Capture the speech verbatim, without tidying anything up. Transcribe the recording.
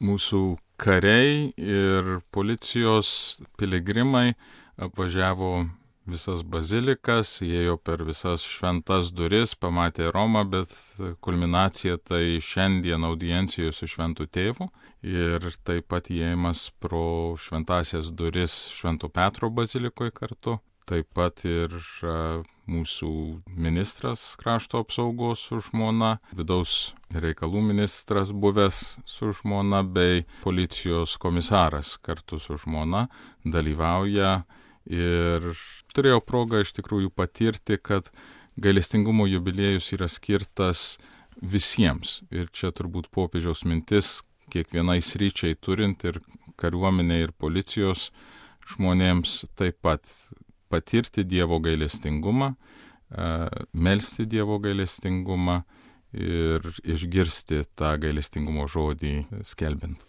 Mūsų kariai ir policijos piligrimai apvažiavo visas bazilikas, įėjo per visas šventas duris, pamatė Romą, bet kulminacija tai šiandien audiencijos su Šventu Tėvu ir taip pat įėjimas pro šventasias duris Švento Petro bazilikoje kartu. Taip pat ir mūsų ministras krašto apsaugos su žmona, vidaus reikalų ministras buvęs su žmona bei policijos komisaras kartu su žmona dalyvauja ir turėjau progą iš tikrųjų patirti, kad gailestingumo jubiliejus yra skirtas visiems. Ir čia turbūt popiežiaus mintis kiekvienai sričiai turint ir kariuomenė ir policijos žmonėms taip pat patirti Dievo gailestingumą, melsti Dievo gailestingumą ir išgirsti tą gailestingumo žodį skelbiant.